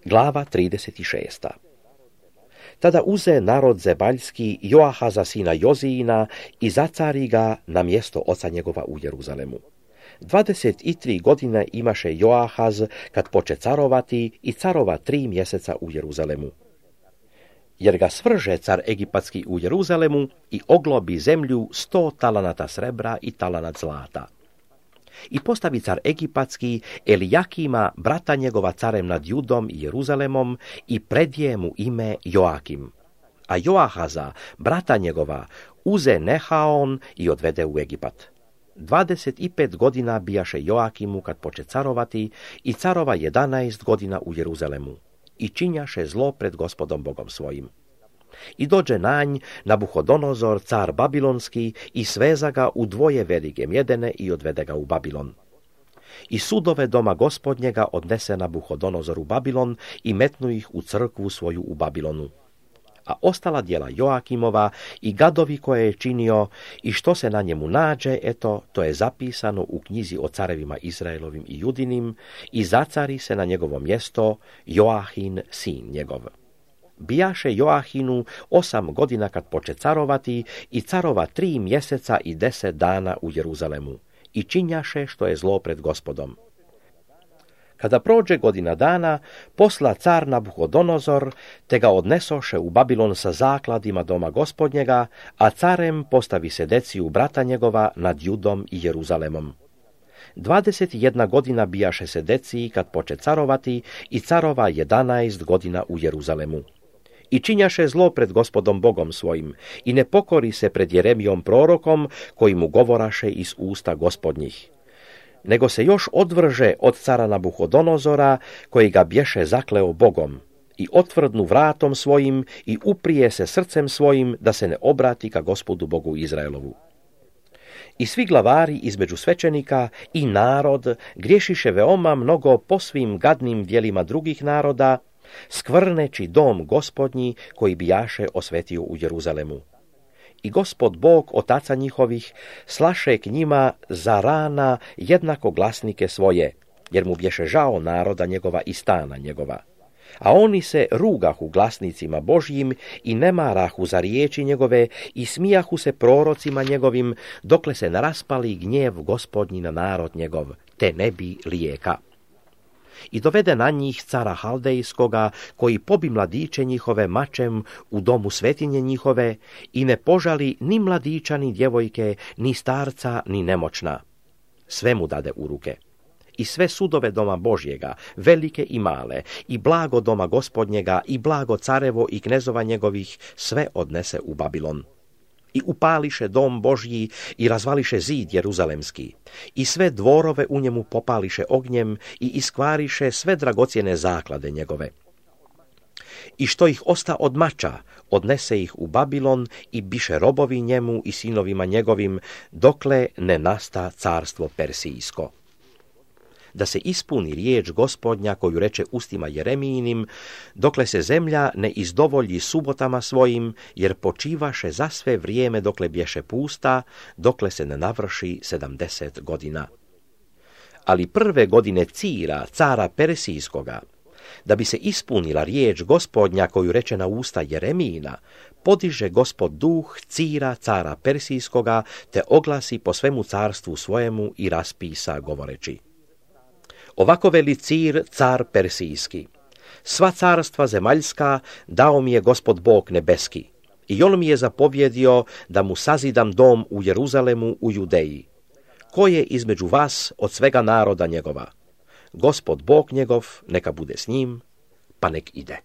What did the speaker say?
Glava 36. Tada uze narod zemaljski Joahaza sina Jozijina i zacari ga na mjesto oca njegova u Jeruzalemu. 23 godine imaše Joahaz kad poče carovati i carova 3 mjeseca u Jeruzalemu. Jer ga svrže car egipatski u Jeruzalemu i oglobi zemlju 100 talanata srebra i talanat zlata. I postavi car egipatski Elijakima, brata njegova, carem nad Judom i Jeruzalemom i predje mu ime Joakim. A Joahaza, brata njegova, uze Nehaon i odvede u Egipat. 25 godina bijaše Joakimu kad poče carovati i carova 11 godina u Jeruzalemu. I činjaše zlo pred Gospodom Bogom svojim. I dođe na nj Nabuhodonozor, car babilonski, i sveza ga u 2 velike mjedene i odvede ga u Babilon. I sudove doma Gospodnjega odnese Nabuhodonozor u Babilon i metnu ih u crkvu svoju u Babilonu. A ostala djela Joakimova i gadovi koje je činio i što se na njemu nađe, eto, to je zapisano u knjizi o carevima Izraelovim i Judinim i zacari se na njegovo mjesto Joahin, sin njegov. Bijaše Joahinu 8 godina kad poče carovati i carova 3 mjeseca i 10 dana u Jeruzalemu i činjaše što je zlo pred Gospodom. Kada prođe godina dana, posla car Nabuhodonozor, te ga odnesoše u Babilon sa zakladima doma Gospodnjega, a carem postavi Sedeciju brata njegova nad Judom i Jeruzalemom. 21 godina bijaše Sedeciji kad poče carovati i carova 11 godina u Jeruzalemu. I činjaše zlo pred Gospodom Bogom svojim i ne pokori se pred Jeremijom prorokom koji mu govoraše iz usta Gospodnjih. Nego se još odvrže od cara Nabuhodonozora koji ga bješe zakleo Bogom i otvrdnu vratom svojim i uprije se srcem svojim da se ne obrati ka Gospodu Bogu Izraelovu. I svi glavari između svećenika i narod griješiše veoma mnogo po svim gadnim djelima drugih naroda, skvrneći dom Gospodnji koji bijaše osvetio u Jeruzalemu. I Gospod Bog otaca njihovih slaše k njima za rana jednako glasnike svoje, jer mu bješe žao naroda njegova i stana njegova. A oni se rugahu glasnicima Božjim i ne marahu za riječi njegove i smijahu se prorocima njegovim, dokle se naraspali gnjev Gospodnji na narod njegov, te ne bi lijeka. I dovede na njih cara Haldejskoga, koji pobi mladiće njihove mačem u domu svetinje njihove i ne požali ni mladića, ni djevojke, ni starca, ni nemoćna. Sve mu dade u ruke. I sve sudove doma Božjega, velike i male, i blago doma Gospodnjega, i blago carevo i knezova njegovih, sve odnese u Babilon. I upališe dom Božji i razvališe zid Jeruzalemski. I sve dvorove u njemu popališe ognjem i iskvariše sve dragocjene zaklade njegove. I što ih osta od mača, odnese ih u Babilon i biše robovi njemu i sinovima njegovim, dokle ne nasta carstvo Persijsko. Da se ispuni riječ Gospodnja koju reče ustima Jeremijinim, dokle se zemlja ne izdovolji subotama svojim, jer počivaše za sve vrijeme dokle bješe pusta, dokle se ne navrši 70 godina. Ali prve godine Cira, cara Persijskoga, da bi se ispunila riječ Gospodnja koju reče na usta Jeremijina, podiže Gospod duh Cira, cara Persijskoga, te oglasi po svemu carstvu svojemu i raspisa govoreći: Ovako veli Cir, car Persijski: sva carstva zemaljska dao mi je Gospod Bog nebeski, i on mi je zapovjedio da mu sazidam dom u Jeruzalemu u Judeji. Ko je između vas od svega naroda njegova? Gospod Bog njegov neka bude s njim, pa nek ide.